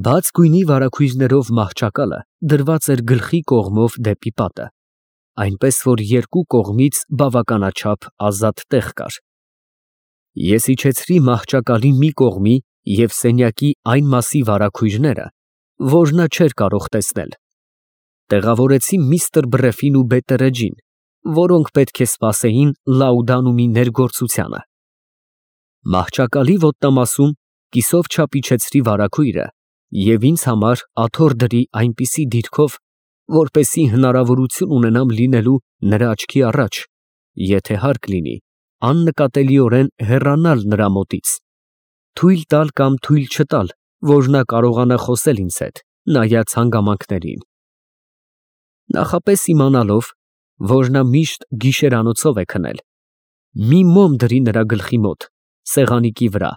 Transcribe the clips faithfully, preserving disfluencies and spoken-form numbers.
Բաց գույնի վարագույրներով մահճակալը դրված էր գլխի կողմով դեպի պատը, այնպես որ երկու կողմից բավականաչափ ազատ տեղ կար։ Ես իջեցրի մահճակալի մի կողմի և սենյակի այն մասի վարագույրները, որ նա չէր կարող տեսնել, տեղավորեցի միստր Բրեֆին ու Բետտերեջին, որոնք պետք է սպասեին Լաուդանումի ներգործությանը։ Մահճակալի ոտնամասում կիսով չափ իջեցրի վարագույրը և ինձ համար աթոռ դրի այնպիսի դիրքով, որպեսզի հնարավորություն ունենամ լինելու նրա աչքի առաջ, եթե հարկ լինի, աննկատելիորեն հեռանալ նրա մոտից, թույլ տալ կամ թույլ չտալ, որ նա կարողանա խոսել ինձ հետ, նայած հանգամանքներին։ Նախապես իմանալով, որ նա միշտ գիշերանոցով է քնել, մի մոմ դրի նրա գլխի մոտ, սեղանիկի վրա,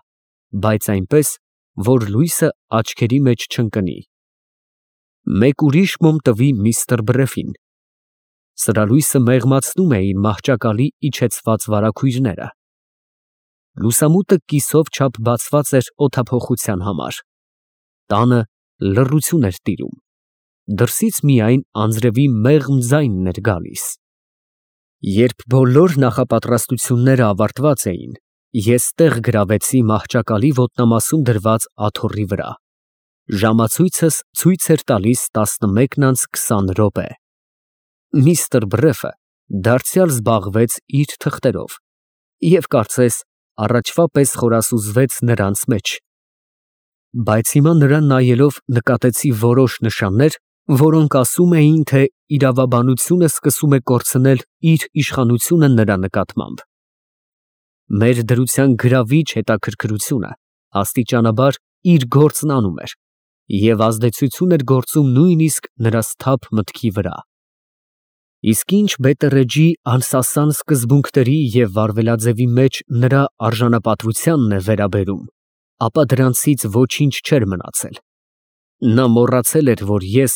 բայց այնպես, որ լույսը աչքերի մեջ չընկնի։ Մեկ ուրիշ մոմ տվի միստր Բրեֆին։ Սրալույսը մեղմացնում էին մահճակալի իջեցված վարագույրները։ Լուսամուտը կիսով չափ բացված էր օդափոխության համար։ Տանը լռություն էր տիրում։ Դրսից միայն անձրևի մեղմ ձայնն էր գալիս։ Երբ բոլոր նախապատրաստությունները ավարտված էին, ես տեղ գրավեցի մահճակալի ոտնամասում դրված աթոռի վրա։ Ժամացույցս ցույց էր տալիս տասնմեկն անց քսան րոպե։ Միստր Բրեֆը դարձյալ զբաղվեց իր թղթերով և, կարծես, առաջվա պես խորասուզվեց նրանց մեջ։ Բայց հիմա նրան նայելով նկատեցի որոշ նշաններ, որոնք ասում էին, թե իրավաբանությունը սկսում է կորցնել իր իշխանությունը նրա նկատմամբ։ Մեր դրության գրավիչ հետաքրքրությունը աստիճանաբար իր գործն անում էր և ազդեցություն էր գործում նույնիսկ նրա սթափ մտքի վրա։ Իսկ ինչ Բետտերեջի անսասան սկզբունքների և վարվելաձևի մեջ նրա արժանապատվությանն է վերաբերում, ապա դրանցից ոչինչ չէր մնացել։ Նա մոռացել էր, որ ես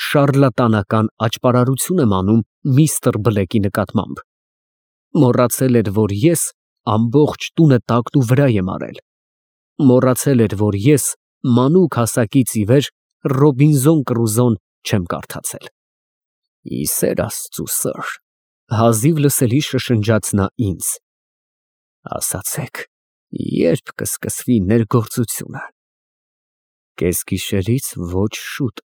շառլատանական աճպարարություն եմ անում միստր Բլեքի նկատմամբ։ Մոռացել էր, որ ես ամբողջ տունը տակնուվրա եմ արել։ Մոռացել էր, որ ես մանուկ հասակից ի վեր Ռոբինզոն Կրուզոն չեմ կարդացել։ «Ի սեր Աստծու, սըր», հազիվ լսելի շշնջաց նա ինձ, «ասացեք, ե՞րբ կսկսվի ներգործությունը»։ Կեսգիշերից ոչ շուտ,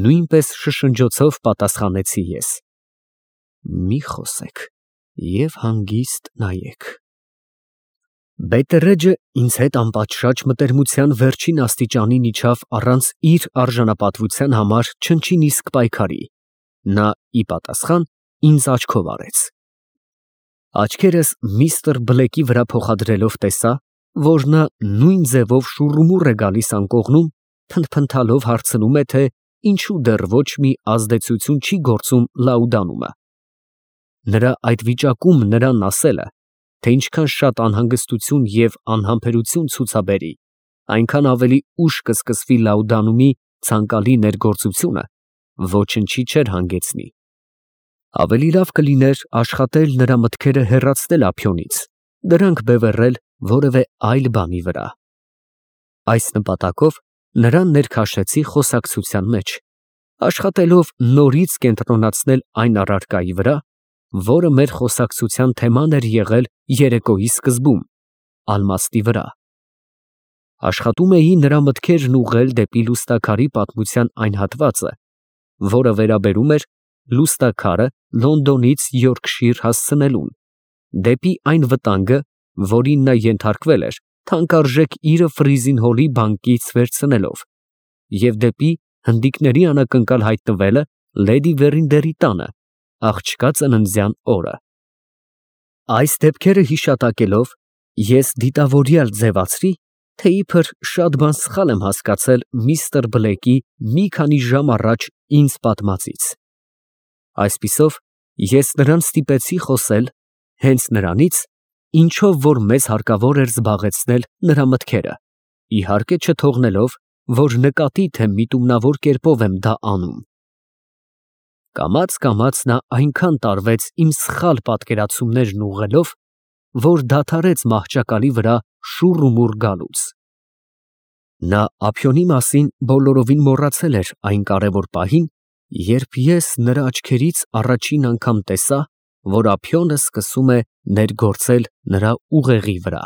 նույնպես շշնջոցով պատասխանեցի ես։ Մի խոսեք և հանգիստ նայեք։ Բետտերեջը ինձ հետ անպատշաճ մտերմության վերջին աստիճանին իջավ առանց իր արժանապատվության համար չնչին իսկ պայքարի։ Նա ի պատասխան ինձ աչքով արեց։ Աչքերս միստր Բլեկի վրա փոխադրելով տեսա, որ նա նույն ձևով շուռումուռ է գալիս անկողնում, փնթփնթալով հարցնում է, թե ինչու դեռ ոչ մի ազդեցություն չի գործում Լաուդանումը։ Նրա այդ վիճակում նրան ասելը, թե ինչքան շատ անհանգստություն և անհամբերություն ցուցաբերի, այնքան ավելի ուշ կսկսվի Լաուդանումի ցանկալի ներգործությունը, ոչնչի չէր հանգեցնի։ Ավելի լավ կլիներ աշխատել նրա մտքերը հեռացնել ափիոնից, դրանք բևեռել որևէ այլ բանի վրա։ Այս նպատակով նրան ներքաշեցի խոսակցության մեջ, աշխատելով նորից կենտրոնացնել այն առարկայի վրա, որը մեր խոսակցության թեման էր եղել երեկոյի սկզբում, ալմաստի վրա։ Աշխատում էի նրա մտքերն ուղղել դեպի լուստաքարի պատմության այն հատվածը, որը վերաբերում էր լուստաքարը Լոնդոնից Յորքշիր հասցնելուն, դեպի այն վտանգը, որին նա ենթարկվել էր թանկարժեք իրը Ֆրիզին Հոլի բանկից վերցնելով, և դեպի հնդիկների անակնկալ հայտնվելը լեդի Վերինդերի տանը, աղջկա ծննդյան օրը։ Այս դեպքերը հիշատակելով, ես դիտավորյալ ձևացրի, թե իբր շատ բան սխալ եմ հասկացել միստր Բլեկի մի քանի ժամ առաջ ինձ պատմածից։ Այսպիսով, ես նրան ստիպեցի խոսել հենց նրանից, ինչով որ մեզ հարկավոր էր զբաղեցնել նրա մտքերը, իհարկե չթողնելով, որ նկատի, թե միտումնավոր կերպով եմ դա անում։ Կամաց֊կամաց նա այնքան տարվեց իմ սխալ պատկերացումներն ուղղելով, որ դադարեց մահճակալի վրա շուռումուռ գալուց։ Նա ափիոնի մասին բոլորովին մոռացել էր այն կարևոր պահին, երբ ես նրա աչքերից առաջին անգամ տեսա, որ ափիոնը սկսում է ներգործել նրա ուղեղի վրա։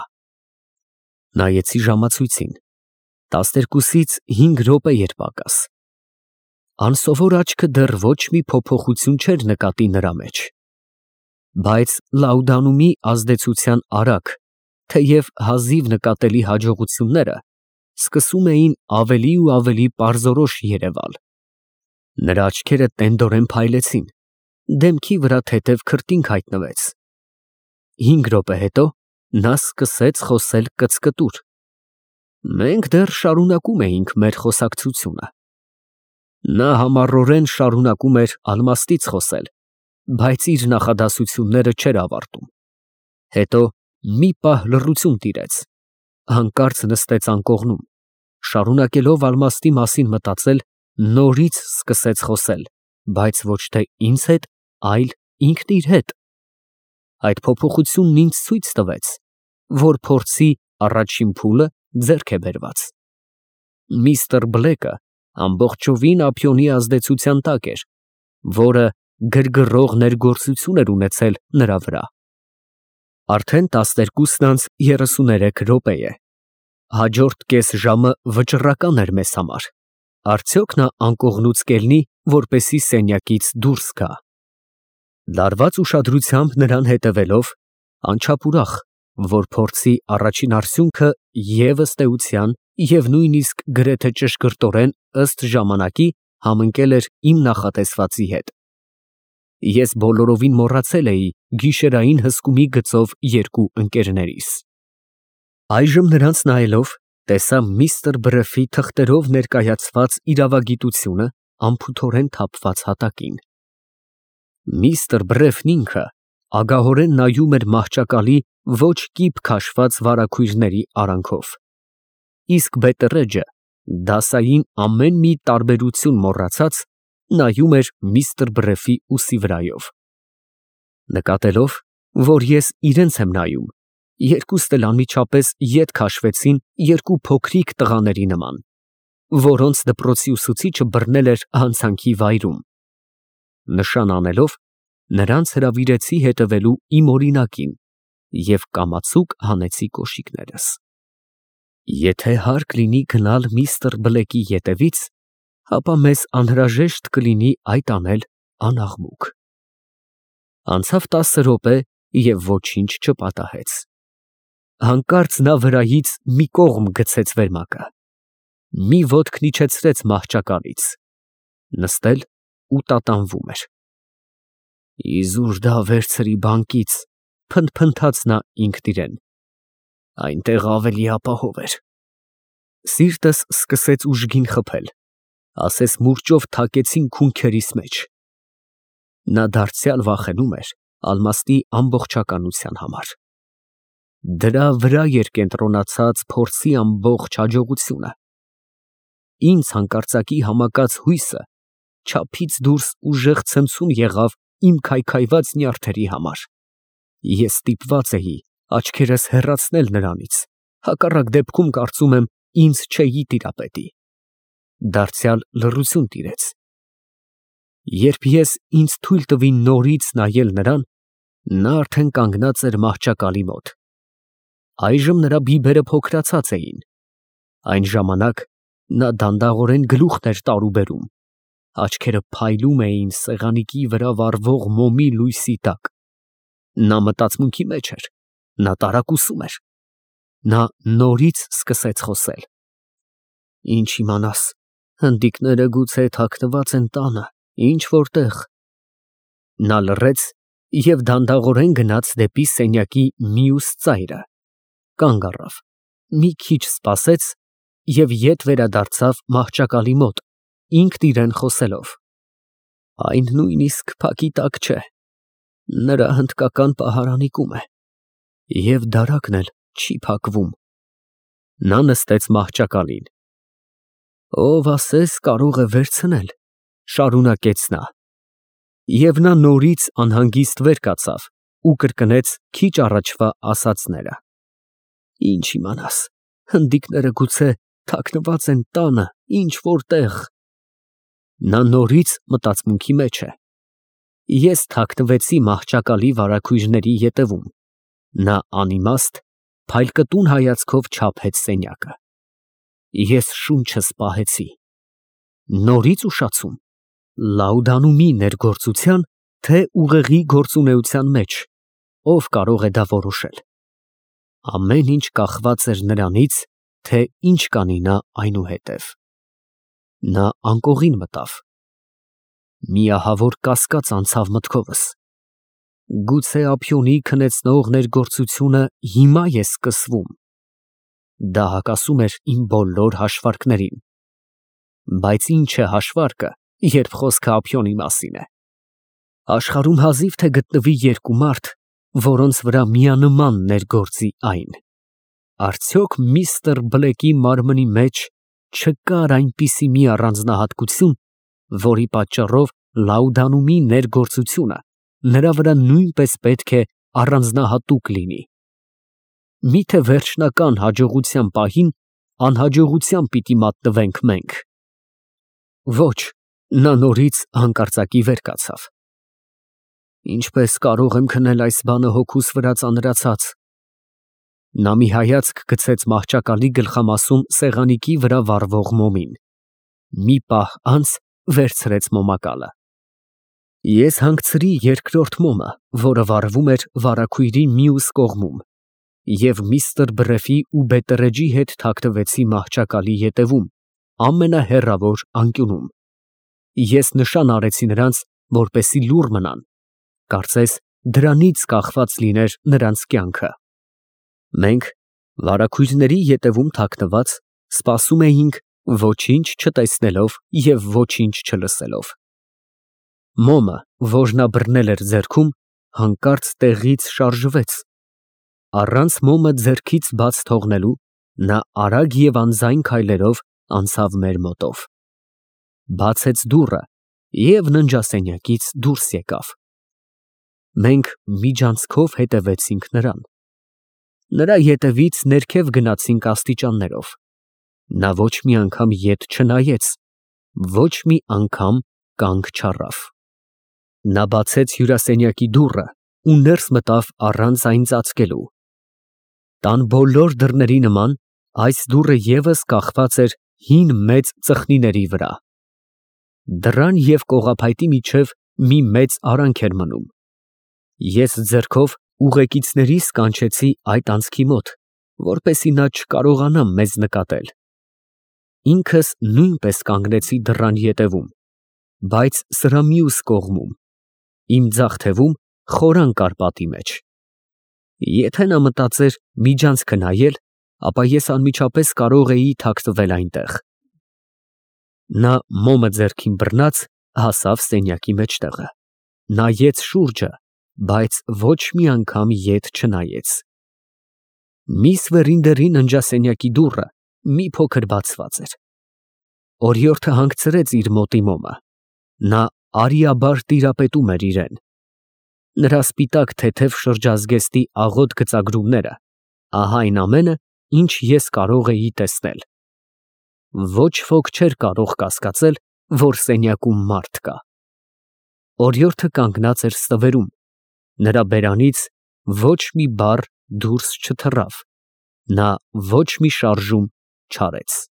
Նայեցի ժամացույցին. տասներկուսից հինգ րոպե էր պակաս։ Անսովոր աչքը դեռ ոչ մի փոփոխություն չէր նկատի նրա մեջ։ Բայց Լաուդանումի ազդեցության արագ, թեև հազիվ նկատելի հաջողությունները սկսում էին ավելի ու ավելի պարզորոշ երևալ։ Նրա աչքերը տենդորեն փայլեցին, դեմքի վրա թեթև քրտինք հայտնվեց։ Հինգ րոպե հետո նա սկսեց խոսել կծկտուր։ Մենք դեռ շարունակում էինք մեր խոսակցությունը։ Նա համառորեն շարունակում էր ալմաստից խոսել, բայց իր նախադասությունները չէր ավարտում։ Հետո մի պահ լռություն տիրեց, հանկարծ նստեց անկողնում, շարունակելով ալմաստի մասին մտածել, նորից սկսեց խոսել, բայց ոչ թե ինձ հետ, այլ ինքն իր հետ։ Այդ փոփոխությունն ինձ ցույց տվեց, որ փորձի առաջին փուլը ձեռք է բերված։ Միստր Բլեկը ամբողջովին ափիոնի ազդեցության տակ էր, որը գրգռող ներգործություն էր ունեցել նրա վրա։ Արդեն տասներկուսն անց երեսուներեք րոպե է։ Հաջորդ կես ժամը վճռական էր մեզ համար։ Արդյոք նա անկողնուց կելնի, որպեսզի սենյակից դուրս գա։ Լարված ուշադրությամբ նրան հետևելով, անչափ ուրախ, որ փորձի առաջին արդյունքը և ըստ էության, և նույնիսկ գրեթե ճշգրտորեն ըստ ժամանակի համընկել էր իմ նախատեսվածի հետ։ Ես բոլորովին մոռացել էի գիշերային հսկումի գծով երկու ընկերներիս։ Այժմ նրանց նայելով, տեսա միստր Բրեֆի թղթերով ներկայացված իրավագիտությունը անփութորեն թափված հատակին։ Միստր Բրեֆն ինքը ագահորեն նայում էր մահճակալի ոչ կիպ քաշված վարագույրների արանքով, իսկ բետռեջը, դասային ամեն մի տարբերություն մոռացած, նայում էր միստր Բրեֆի ուսի վրայով։ Նկատելով, որ ես իրենց եմ նայում, երկուստ էլ անմիջապես ետ քաշվեցին երկու փոքրիկ տղաների նման, որոնց դպրոցի ուսուցիչը բռնել էր հանցանքի վայրում։ Նշան անելով, նրանց հրավիրեցի հետևելու իմ օրինակին և կամացուկ հանեցի կոշիկներս։ Եթե հարկ լինի գնալ միստր Բլեկի ետևից, ապա մեզ անհրաժեշտ կլինի այդ անել անաղմուկ։ Անցավ տասը րոպե և ոչինչ չպատահեց։ Հանկարծ նա վրայից մի կողմ գցեց վերմակը, մի ոտքն իջեցրեց մահճակալից, նստել ու տատանվում էր։ Իզուր դա վերցրի բանկից, փնթփնթաց նա ինքն իրեն, այնտեղ ավելի ապահով էր։ Սիրտս սկսեց ուժգին խփել, ասես մուրճով թակեցին քունքերիս մեջ։ Նա դարձյալ վախենում էր ալմաստի ամբողջականության համար։ Դրա վրա էր կենտրոնացած փորձի ամբողջ հաջողությունը։ Ինձ հանկարծակի համակած հույսը չափից դուրս ուժեղ ցնցում եղավ իմ քայքայված նյարդերի համար։ Ես ստիպված էի աչքերս հեռացնել նրանից, հակառակ դեպքում կարծում եմ ինձ չէի տիրապետի։ Դարձյալ լռություն տիրեց։ Երբ ես ինձ թույլ տվի նորից նայել նրան, նա արդեն կանգնած էր մահճակալի մոտ։ Այժմ նրա բիբերը փոքրացած էին։ Այն ժամանակ նա դանդաղորեն գլուխն էր տարուբերում, աչքերը փայլում էին սեղանիկի վրա վառվող մոմի լույսի տակ։ Նա մտածմունքի մեջ էր, նա տարակուսում էր։ Նա նորից սկսեց խոսել. Ինչ իմանաս, հնդիկները գուցե թաքնված են տանը, ինչ֊որ տեղ։ Նա լռեց և դանդաղորեն գնաց դեպի սենյակի մյուս ծայրը, կանգ առավ, մի քիչ սպասեց և ետ վերադարձավ մահճակալի մոտ, ինքն իրան խոսելով. Այն նույնիսկ փակի տակ չէ, նրա հնդկական պահարանիկում է, և դարակն էլ չի փակվում։ Նա նստեց մահճակալին։ Ով ասես կարող է վերցնել, շարունակեց նա։ Եվ նա նորից անհանգիստ վեր կացավ ու կրկնեց քիչ առաջվա ասածները. Ինչ իմանաս, հնդիկները գուցե թաքնված են տանը, ինչ որտեղ։ Նա նորից մտածմունքի մեջ է։ Ես թաքնվեցի մահճակալի վարագույրների ետևում։ Նա անիմաստ, փայլկտուն հայացքով չափեց սենյակը։ Ես շունչս պահեցի։ Նորից ուշացում, Լաուդանումի ներգործության, թե ուղեղի գործունեության մեջ, ով կարող է դա որոշել։ Ամեն ինչ կախված էր նրանից, թե ինչ կանի նա այնուհետև։ Նա անկողին մտավ։ Մի ահավոր կասկած անցավ մտքովս։ Գուցե ափիոնի քնեցնող ներգործությունը հիմա է սկսվում։ Դա հակասում էր իմ բոլոր հաշվարկներին։ Բայց ինչ է հաշվարկը, երբ խոսքը ափիոնի մասին է։ Աշխարհում հազիվ թե գտնվի երկու մարդ, որոնց վրա միանման ներգործի այն։ Արդյոք միստր Բլեկի մարմնի մեջ չկար այնպիսի մի առանձնահատկություն, որի պատճառով Լաուդանումի ներգործությունը նրա վրա նույնպես պետք է առանձնահատուկ լինի։ Միթե վերջնական հաջողության պահին անհաջողության պիտի մատնվենք մենք։ Ոչ, նա նորից հանկարծակի վեր կացավ։ Ինչպես կարող եմ քնել այս բանը հոգուս վրա ծանրացած։ Նա մի հայացք գցեց մահճակալի գլխամասում սեղանիկի վրա վառվող մոմին։ Մի պահ անց վերցրեց մոմակալը։ Ես հանգցրի երկրորդ մոմը, որը վառվում էր վարագույրի մյուս կողմում, և միստր Բրեֆի ու Բետտերեջի հետ թաքնվեցի մահճակալի ետևում, ամենահեռավոր անկյունում։ Ես նշան արեցի նրանց, որպեսզի լուռ մնան, կարծես դրանից կախված լիներ նրանց կյանքը։ Մենք, վարագույրների ետևում թաքնված, սպասում էինք, ոչինչ չտեսնելով և ոչինչ չլսելով։ Մոմը, որ նա բռնել էր ձեռքում, հանկարծ տեղից շարժվեց։ Առանց մոմը ձեռքից բաց թողնելու, նա արագ և անձայն քայլերով անցավ մեր մոտով։ Բացեց դուռը և ննջասենյակից դուրս եկավ։ Մենք միջանցքով հետևեցինք նրան։ Նրա ետևից ներքև գնացինք աստիճաններով։ Նա ոչ մի անգամ ետ չնայեց, ոչ մի անգամ կանգ չառավ։ Նա բացեց հյուրասենյակի դուռը ու ներս մտավ առանց այն ծածկելու։ Տան բոլոր դռների նման, այս դուռը ևս կախված էր հին մեծ ծխնիների վրա։ Դռան և կողափայտի միջև մի մեծ արանք էր մնում։ Ես ձեռքով ուղեկիցներիս կանչեցի այդ անցքի մոտ, որպեսզի նա չկարողանա մեզ նկատել։ Ինքս նույնպես կանգնեցի դռան ետևում, բայց սրա մյուս կողմում, իմ ձախ թևում խորան կար պատի մեջ։ Եթե նա մտածեր միջանցքը նայել, ապա ես անմիջապես կարող էի թաքնվել այնտեղ։ Նա մոմը ձեռքին բռնած հասավ սենյակի մեջտեղը, նայեց շուրջը, բայց ոչ մի անգամ ետ չնայեց։ Միս Վերինդերի ննջասենյակի դուռը մի փոքր բացված էր։ Օրիորդը հանգցրեց իր մոտի մոմը։ Նա արիաբար տիրապետում էր իրեն։ Նրա սպիտակ թեթև շրջազգեստի աղոտ գծագրումները, ահա այն ամենը, ինչ ես կարող էի տեսնել։ Ոչ ոք չէր կարող կասկածել, որ սենյակում մարդ կա։ Օրիորդը կանգնած էր ստվերում, նրա բերանից ոչ մի բառ դուրս չթռավ, նա ոչ մի շարժում չարեց։